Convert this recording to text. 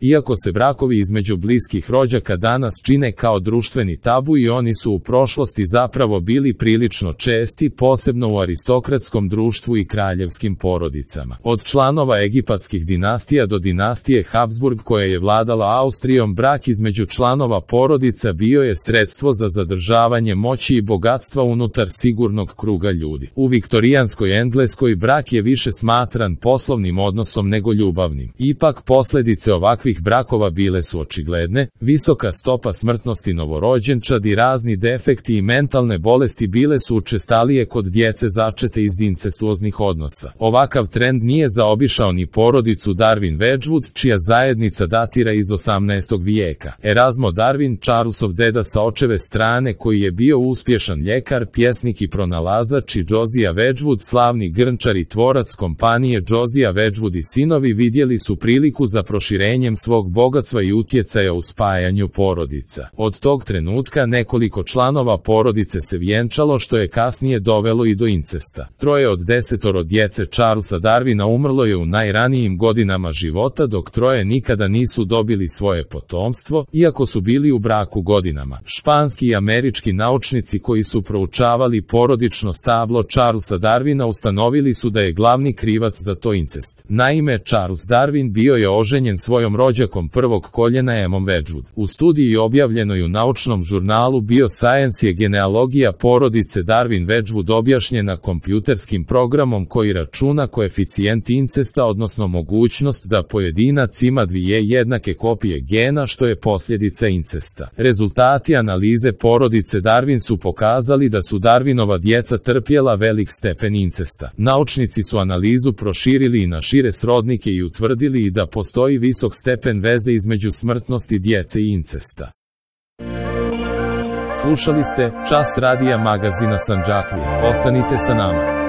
Iako se brakovi između bliskih rođaka danas čine kao društveni tabu i oni su u prošlosti zapravo bili prilično česti, posebno u aristokratskom društvu i kraljevskim porodicama. Od članova egipatskih dinastija do dinastije Habsburg koja je vladala Austrijom, brak između članova porodica bio je sredstvo za zadržavanje moći i bogatstva unutar sigurnog kruga ljudi. U viktorijanskoj Engleskoj brak je više smatran poslovnim odnosom nego ljubavnim. Ipak posljedice ovakvih brakova bile su očigledne, visoka stopa smrtnosti novorođenčad i razni defekti i mentalne bolesti bile su učestalije kod djece začete iz incestuoznih odnosa. Ovakav trend nije zaobišao ni porodicu Darwin Wedgwood, čija zajednica datira iz 18. vijeka. Erasmo Darwin, Charlesov deda sa očeve strane, koji je bio uspješan ljekar, pjesnik i pronalazač, i Josiah Wedgwood, slavni grnčar i tvorac kompanije Josiah Wedgwood i sinovi, vidjeli su priliku za proširenjem svog bogatstva i utjecaja u spajanju porodica. Od tog trenutka nekoliko članova porodice se vjenčalo, što je kasnije dovelo i do incesta. 3 od 10 djece Charlesa Darwina umrlo je u najranijim godinama života, dok 3 nikada nisu dobili svoje potomstvo, iako su bili u braku godinama. Španski i američki naučnici koji su proučavali porodično stablo Charlesa Darwina ustanovili su da je glavni krivac za to incest. Naime, Charles Darwin bio je oženjen svojom rođakom prvog koljena Emmom Wedgwood. U studiji objavljenoj u naučnom žurnalu Bioscience je genealogija porodice Darwin Wedgwood objašnjena kompjuterskim programom koji računa koeficijent incesta, odnosno mogućnost da pojedinac ima 2 jednake kopije gena, što je posljedica incesta. Rezultati analize porodice Darwin su pokazali da su Darwinova djeca trpjela velik stepen incesta. Naučnici su analizu proširili i na šire srodnike i utvrdili i da postoji visok stepen veze između smrtnosti djece i incesta. Slušali ste Čas radija magazina Sandžaklija. Ostanite sa nama.